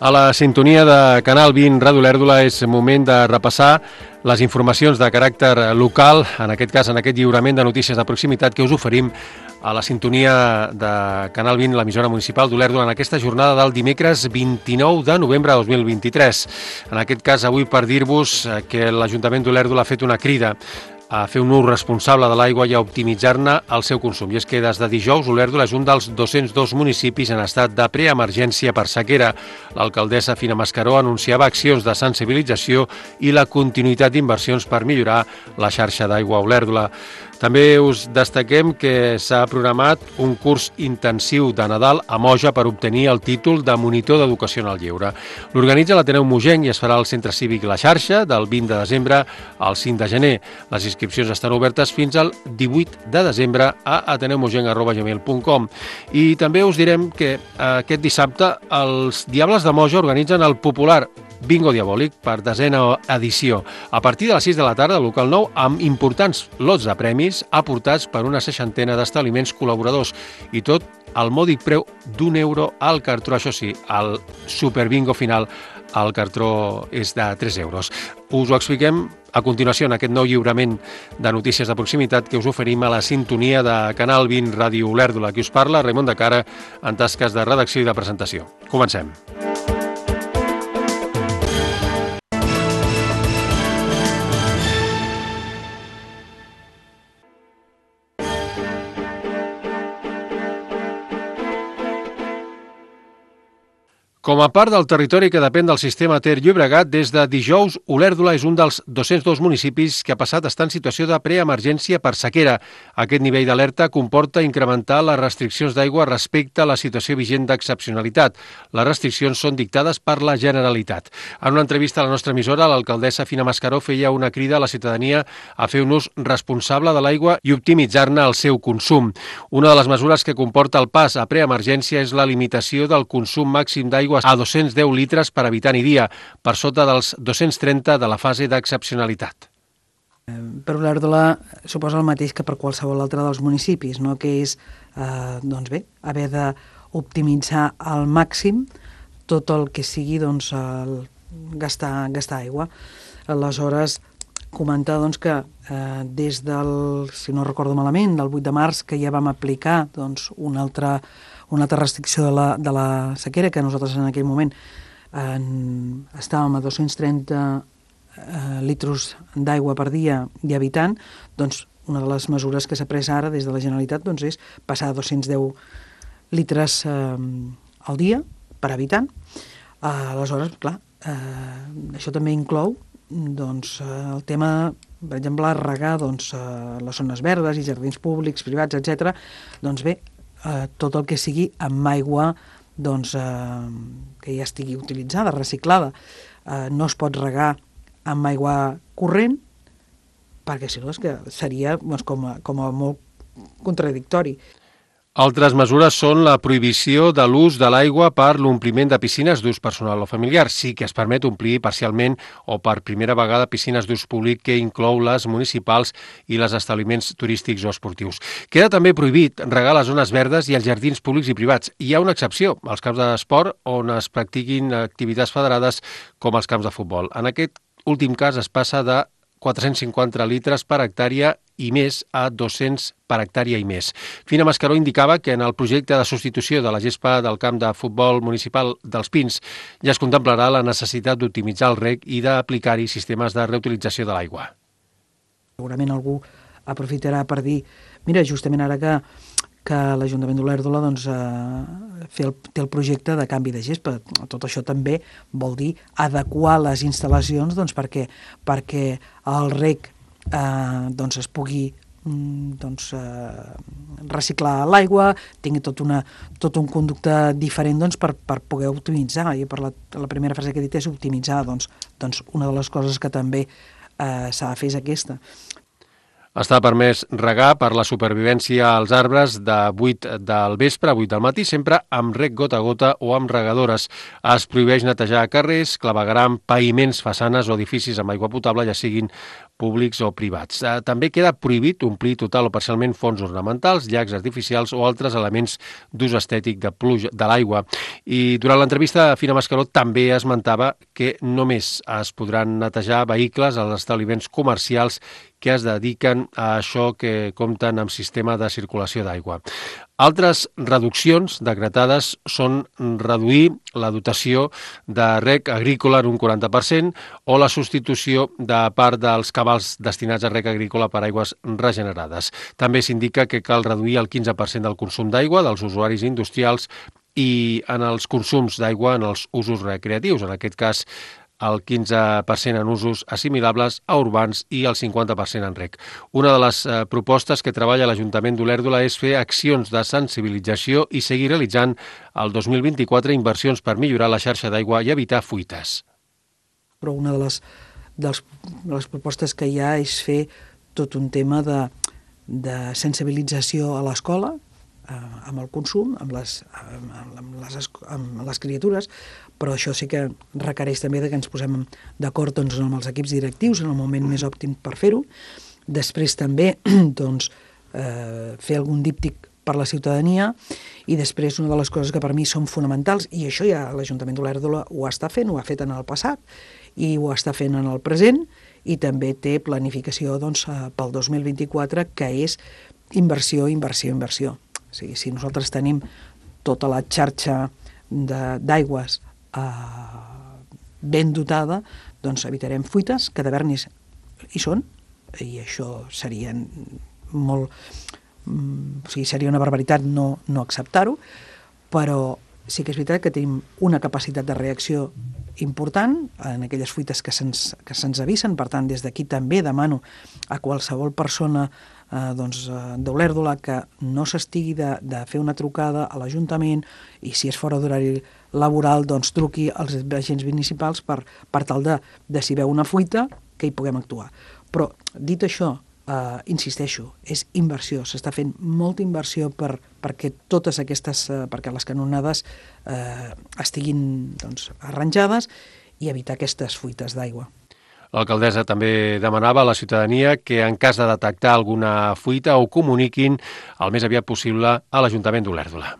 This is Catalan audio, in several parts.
A la sintonia de Canal 20 Ràdio Olèrdola és moment de repassar les informacions de caràcter local, en aquest cas en aquest lliurament de notícies de proximitat que us oferim a la sintonia de Canal 20, l'emissora municipal d'Olèrdola, en aquesta jornada del dimecres 29 de novembre de 2023. En aquest cas, avui per dir-vos que l'Ajuntament d'Olèrdola ha fet una crida a fer un ús responsable de l'aigua i a optimitzar-ne el seu consum. I és que des de dijous Olèrdola és un dels 202 municipis en estat de preemergència per sequera. L'alcaldessa Fina Mascaró anunciava accions de sensibilització i la continuïtat d'inversions per millorar la xarxa d'aigua a Olèrdola. També us destaquem que s'ha programat un curs intensiu de Nadal a Moja per obtenir el títol de monitor d'educació en el lleure. L'organitza l'Ateneu Mogenc i es farà al Centre Cívic La Xarxa del 20 de desembre al 5 de gener. Les inscripcions estan obertes fins al 18 de desembre a ateneumogenc@gmail.com. I també us direm que aquest dissabte els Diables de Moja organitzen el popular Bingo Diabòlic per 10a edició. A partir de les 6 de la tarda, al local 9, amb importants lots de premis aportats per una 60ena d'establiments col·laboradors. I tot al mòdic preu d'€1 al cartró. Això sí, el superbingo final, el cartró és de 3 euros. Us ho expliquem a continuació en aquest nou lliurament de notícies de proximitat que us oferim a la sintonia de Canal 20 Ràdio Olèrdola. Qui us parla, Raimon de Cara, en tasques de redacció i de presentació. Comencem. Com a part del territori que depèn del sistema Ter-Llobregat, des de dijous, Olèrdola és un dels 202 municipis que ha passat a estar en situació de preemergència per sequera. Aquest nivell d'alerta comporta incrementar les restriccions d'aigua respecte a la situació vigent d'excepcionalitat. Les restriccions són dictades per la Generalitat. En una entrevista a la nostra emissora, l'alcaldessa Fina Mascaró feia una crida a la ciutadania a fer un ús responsable de l'aigua i optimitzar-ne el seu consum. Una de les mesures que comporta el pas a preemergència és la limitació del consum màxim d'aigua a 210 litres per habitant i dia, per sota dels 230 de la fase d'excepcionalitat. Per Olèrdola suposa el mateix que per qualsevol altre dels municipis, no? Que és haver d'optimitzar al màxim tot el que sigui gastar aigua. Aleshores, comentar que des del, si no recordo malament, del 8 de març, que ja vam aplicar una altra restricció de la sequera, que nosaltres en aquell moment estàvem a 230 litres d'aigua per dia i habitant, una de les mesures que s'ha pres ara des de la Generalitat és passar a 210 litres al dia per habitant. Aleshores, clar, això també inclou el tema, per exemple, regar les zones verdes i jardins públics, privats, etc. Tot el que sigui amb aigua que ja estigui utilitzada, reciclada. No es pot regar amb aigua corrent, perquè si no seria com a molt contradictori. Altres mesures són la prohibició de l'ús de l'aigua per l'ompliment de piscines d'ús personal o familiar. Sí que es permet omplir parcialment o per primera vegada piscines d'ús públic que inclou les municipals i les establiments turístics o esportius. Queda també prohibit regar les zones verdes i els jardins públics i privats. Hi ha una excepció, els camps d'esport on es practiquin activitats federades com els camps de futbol. En aquest últim cas es passa de 450 litres per hectàrea i més a 200 per hectàrea i més. Fina Mascaró indicava que en el projecte de substitució de la gespa del camp de futbol municipal dels Pins ja es contemplarà la necessitat d'optimitzar el reg i d'aplicar-hi sistemes de reutilització de l'aigua. Segurament algú aprofitarà per dir, mira, justament ara que l'Ajuntament d'Olèrdola té el projecte de canvi de gespa. Tot això també vol dir adequar les instal·lacions perquè el reg es pugui reciclar l'aigua, tingui tot un conducte diferent per poder optimitzar. I per la primera frase que he dit és optimitzar. Una de les coses que també s'ha de fer és aquesta. Està permès regar per la supervivència als arbres de 8 del vespre a 8 del matí, sempre amb reg gota a gota o amb regadores. Es prohibeix netejar carrers, clavegueram, paviments, façanes o edificis amb aigua potable, ja siguin públics o privats. També queda prohibit omplir total o parcialment fonts ornamentals, llacs artificials o altres elements d'ús estètic de pluja de l'aigua. I durant l'entrevista, Fina Mascaró també esmentava que només es podran netejar vehicles als establiments comercials que es dediquen a això, que compten amb sistema de circulació d'aigua. Altres reduccions decretades són reduir la dotació de reg agrícola en un 40% o la substitució de part dels cabals destinats a reg agrícola per aigües regenerades. També s'indica que cal reduir el 15% del consum d'aigua dels usuaris industrials i en els consums d'aigua en els usos recreatius, en aquest cas el 15% en usos assimilables a urbans i el 50% en reg. Una de les propostes que treballa l'Ajuntament d'Olèrdola és fer accions de sensibilització i seguir realitzant el 2024 inversions per millorar la xarxa d'aigua i evitar fuites. Però una de les propostes que hi ha és fer tot un tema de sensibilització a l'escola, amb el consum, amb les criatures, però això sí que requereix també que ens posem d'acord doncs, amb els equips directius en el moment més òptim per fer-ho. Després també doncs, fer algun díptic per la ciutadania i després una de les coses que per mi són fonamentals, i això ja l'Ajuntament d'Olèrdola ho està fent, ho ha fet en el passat i ho està fent en el present, i també té planificació doncs, pel 2024, que és inversió, inversió, inversió. O sigui, si nosaltres tenim tota la xarxa d'aigües ben dotada, doncs evitarem fuites, que d'haver-n'hi hi són, i això seria molt... O sigui, seria una barbaritat no acceptar-ho, però sí que és veritat que tenim una capacitat de reacció important en aquelles fuites que se'ns avisen. Per tant, des d'aquí també demano a qualsevol persona d'Olèrdola que no s'estigui de fer una trucada a l'Ajuntament, i si és fora d'horari laboral, doncs truqui als agents municipals per tal de si veu una fuita, que hi puguem actuar. Però, dit això, insisteixo, és inversió. S'està fent molta inversió perquè totes aquestes, perquè les canonades estiguin doncs, arranjades i evitar aquestes fuites d'aigua. L'alcaldessa també demanava a la ciutadania que en cas de detectar alguna fuita ho comuniquin el més aviat possible a l'Ajuntament d'Olèrdola.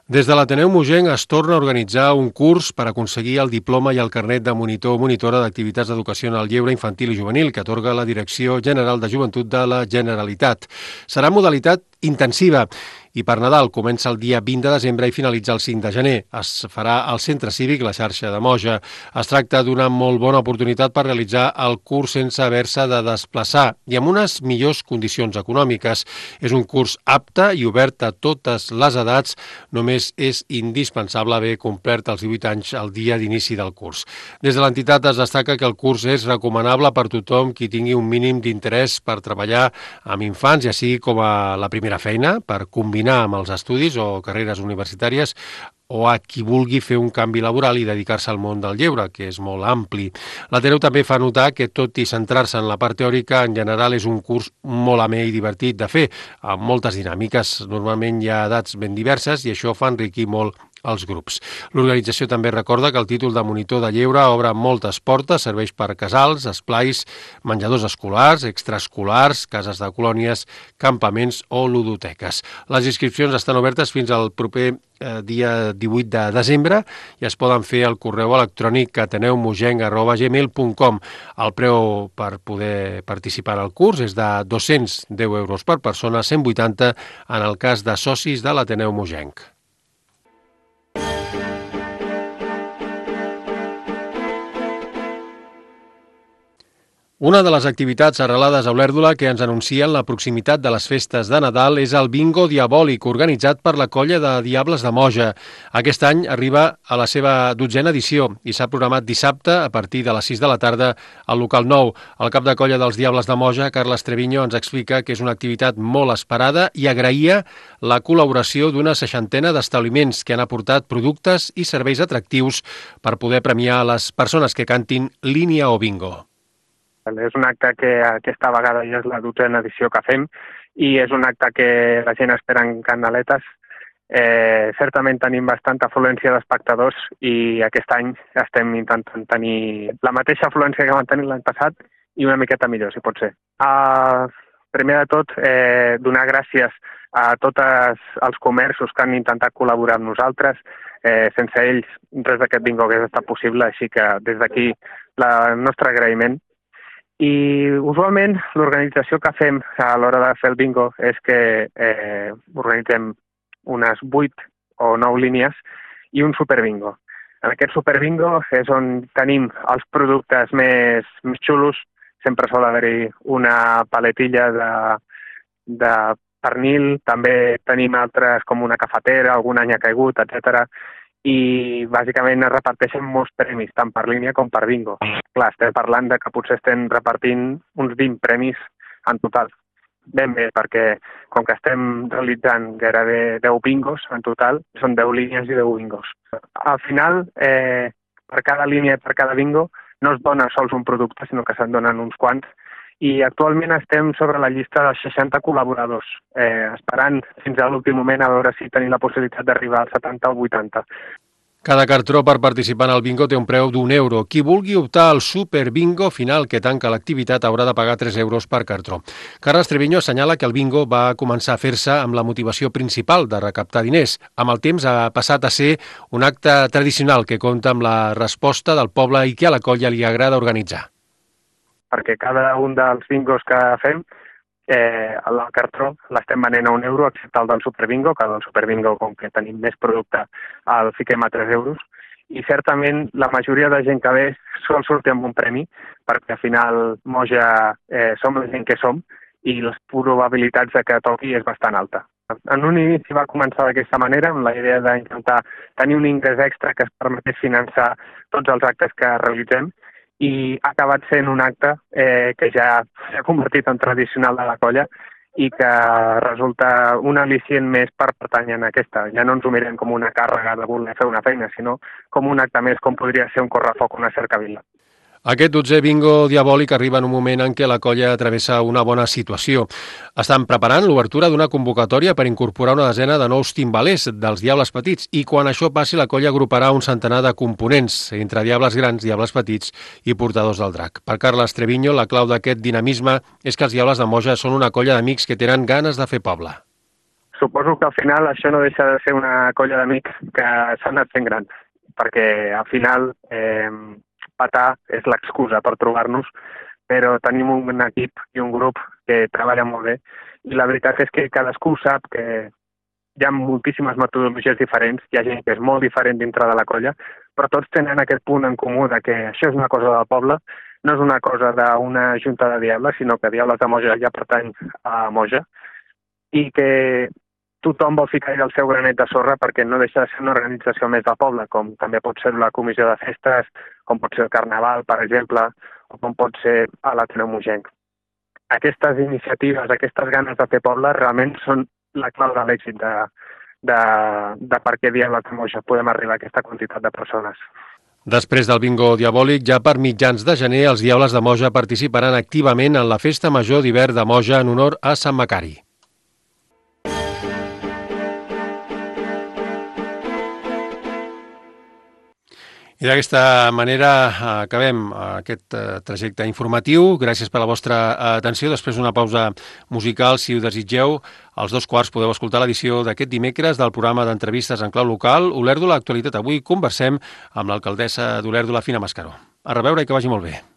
Des de l'Ateneu Mogenc es torna a organitzar un curs per aconseguir el diploma i el carnet de monitor o monitora d'activitats d'educació en el lleure infantil i juvenil que atorga la Direcció General de Joventut de la Generalitat. Serà modalitat intensiva i per Nadal comença el dia 20 de desembre i finalitza el 5 de gener. Es farà al Centre Cívic La Xarxa de Moja. Es tracta d'una molt bona oportunitat per realitzar el curs sense haver-se de desplaçar i amb unes millors condicions econòmiques. És un curs apte i obert a totes les edats. Només és indispensable haver complert els 18 anys el dia d'inici del curs. Des de l'entitat es destaca que el curs és recomanable per tothom qui tingui un mínim d'interès per treballar amb infants, ja sigui com a la primera feina, per combinar amb els estudis o carreres universitàries, o a qui vulgui fer un canvi laboral i dedicar-se al món del lleure, que és molt ampli. L'Ateneu també fa notar que, tot i centrar-se en la part teòrica, en general és un curs molt amè i divertit de fer, amb moltes dinàmiques. Normalment hi ha edats ben diverses i això fa enriquir molt els grups. L'organització també recorda que el títol de monitor de lleure obre moltes portes, serveix per casals, esplais, menjadors escolars, extraescolars, cases de colònies, campaments o ludoteques. Les inscripcions estan obertes fins al proper dia 18 de desembre i es poden fer al correu electrònic ateneumugenc@gmail.com. El preu per poder participar al curs és de 210 euros per persona, 180 en el cas de socis de l'Ateneu Mogenc. Una de les activitats arrelades a Olèrdola que ens anuncien la proximitat de les festes de Nadal és el Bingo Diabòlic, organitzat per la colla de Diables de Moja. Aquest any arriba a la seva 12a edició i s'ha programat dissabte a partir de les 6 de la tarda al local 9. El cap de colla dels Diables de Moja, Carles Treviño, ens explica que és una activitat molt esperada i agraïa la col·laboració d'una 60ena d'establiments que han aportat productes i serveis atractius per poder premiar les persones que cantin línia o bingo. És un acte que aquesta vegada ja és la 12a edició que fem i és un acte que la gent espera en candeletes. Certament tenim bastanta afluència d'espectadors i aquest any estem intentant tenir la mateixa afluència que vam tenir l'any passat i una miqueta millor, si pot ser. Primer de tot, donar gràcies a tots els comerços que han intentat col·laborar amb nosaltres. Sense ells, res d'aquest bingo hagués estat possible, així que des d'aquí el nostre agraïment. I usualment l'organització que fem a l'hora de fer el bingo és que organitzem unes 8 o 9 línies i un superbingo. En aquest superbingo és on tenim els productes més xulos. Sempre sol haver-hi una paletilla de pernil, també tenim altres com una cafetera, algun any ha caigut, etc. I bàsicament es reparteixen molts premis, tant per línia com per bingo. Clar, estem parlant de que potser estem repartint uns 20 premis en total. Ben bé, perquè com que estem realitzant gairebé 10 bingos en total, són 10 línies i 10 bingos. Al final, per cada línia i per cada bingo, no es dona sols un producte, sinó que se'n donen uns quants. I actualment estem sobre la llista dels 60 col·laboradors, esperant fins a l'últim moment a veure si tenim la possibilitat d'arribar als 70 o 80. Cada cartró per participar en el bingo té un preu d'€1. Qui vulgui optar al super bingo final que tanca l'activitat haurà de pagar €3 per cartró. Carles Treviño assenyala que el bingo va començar a fer-se amb la motivació principal de recaptar diners. Amb el temps ha passat a ser un acte tradicional que compta amb la resposta del poble i que a la colla li agrada organitzar. Perquè cada un dels bingos que fem, el cartró l'estem venent a €1, excepte el del superbingo, que del superbingo, com que tenim més producte, el fiquem a €3. I certament la majoria de gent que ve sol sortir amb un premi, perquè al final Moja som la gent que som i les probabilitats de que toqui és bastant alta. En un inici va començar d'aquesta manera, amb la idea d'intentar tenir un ingrés extra que es permetés finançar tots els actes que realitzem, i ha acabat sent un acte que ja s'ha convertit en tradicional de la colla i que resulta un al·licient més per pertànyer en aquesta. Ja no ens ho mirem com una càrrega de voler fer una feina, sinó com un acte més, com podria ser un correfoc o una cercavila. Aquest 12è bingo diabòlic arriba en un moment en què la colla travessa una bona situació. Estan preparant l'obertura d'una convocatòria per incorporar una desena de nous timbalers dels Diables Petits i quan això passi la colla agruparà un centenar de components entre Diables Grans, Diables Petits i portadors del drac. Per Carles Treviño, la clau d'aquest dinamisme és que els Diables de Moja són una colla d'amics que tenen ganes de fer poble. Suposo que al final això no deixa de ser una colla d'amics que s'han anat fent grans, perquè al final petar és l'excusa per trobar-nos, però tenim un equip i un grup que treballa molt bé i la veritat és que cadascú sap que hi ha moltíssimes metodologies diferents, hi ha gent que és molt diferent dintre de la colla, però tots tenen aquest punt en comú de que això és una cosa del poble, no és una cosa d'una junta de diables, sinó que Diables de Moja ja pertany a Moja i que tothom vol ficar el seu granet de sorra perquè no deixa de ser una organització més del poble, com també pot ser la comissió de festes, com pot ser el carnaval, per exemple, o com pot ser l'Ateneu Mogenc. Aquestes iniciatives, aquestes ganes de fer poble, realment són la clau de l'èxit de per què Diables de Moja podem arribar a aquesta quantitat de persones. Després del bingo diabòlic, ja per mitjans de gener, els Diables de Moja participaran activament en la Festa Major d'hivern de Moja en honor a Sant Macari. I d'aquesta manera acabem aquest trajecte informatiu. Gràcies per la vostra atenció. Després d'una pausa musical, si ho desitgeu, als 2:15 podeu escoltar l'edició d'aquest dimecres del programa d'entrevistes en clau local, Olèrdola Actualitat. Avui conversem amb l'alcaldessa d'Olèrdola, Fina Mascaró. A reveure i que vagi molt bé.